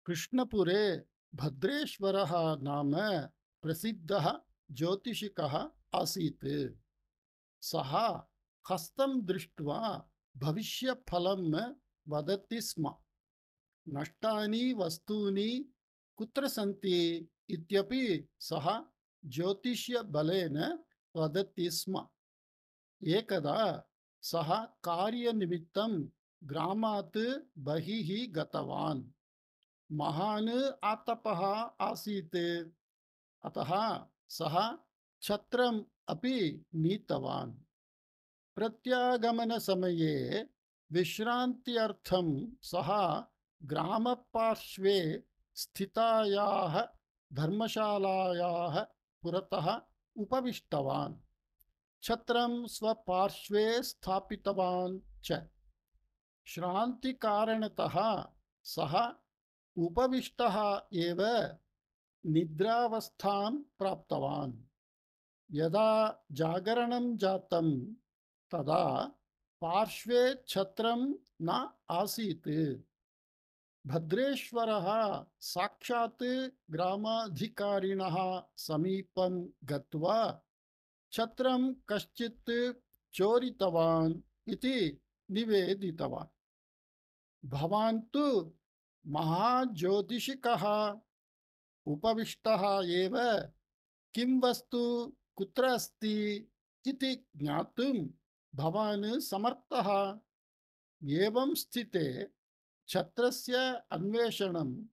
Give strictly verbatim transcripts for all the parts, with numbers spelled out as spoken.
कृष्णपुरे भद्रेश्वरः नाम प्रसिद्धः ज्योतिषिकः आसीत्। सः हस्तं दृष्ट्वा भविष्यफलं वदति स्म। नष्टानि वस्तूनि कुत्र सन्ति इत्यपि सः ज्योतिष्यबलेन वदति स्म। एकदा सः कार्यनिमित्तं ग्रामात् बहिः गतवान्। महान् आतपः आसीत्, अतः सः छत्रम् अपि नीतवान्। प्रत्यागमनसमये विश्रान्त्यर्थं सः ग्रामपार्श्वे स्थितायाः धर्मशालायाः पुरतः उपविष्टवान्। छत्रं स्वपार्श्वे स्थापितवान् च। श्रान्तिकारणतः सः उपविष्टः एव निद्रावस्थां प्राप्तवान्। यदा जागरणं जातं तदा पार्श्वे छत्रं न आसीत्। भद्रेश्वरः साक्षात् ग्रामाधिकारिणः समीपं गत्वा छत्रं कश्चित् चोरितवान् इति निवेदितवान्। भवान् तु महाज्योतिषिकः, उपविष्टः एव किं वस्तु कुत्र अस्ति इति ज्ञातुं भवान् समर्थः। एवं स्थिते छत्रस्य अन्वेषणं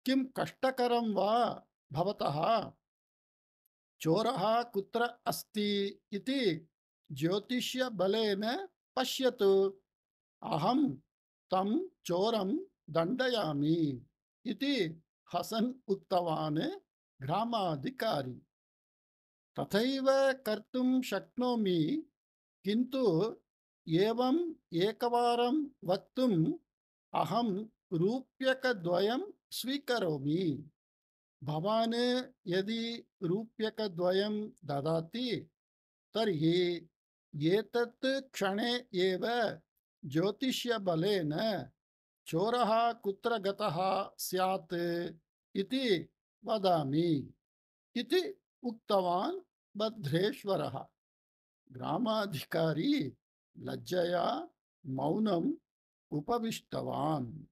किं कष्टकरं वा भवतः? चोरः कुत्र अस्ति इति ज्योतिष्यबलेन पश्यतु। अहं तं चोरं दण्डयामि इति हसन् उक्तवान् ग्रामाधिकारी। तथैव कर्तुं शक्नोमि, किन्तु एवम् एकवारं वक्तुम् अहं रूप्यकद्वयं स्वीकरोमि। भवान् यदि रूप्यकद्वयं ददाति तर्हि एतत् क्षणे एव ज्योतिष्यबलेन चोरः कुत्र गतः स्यात् इति वदामि इति उक्तवान् भद्रेश्वरः। ग्रामाधिकारी लज्जया मौनम् उपविष्टवान्।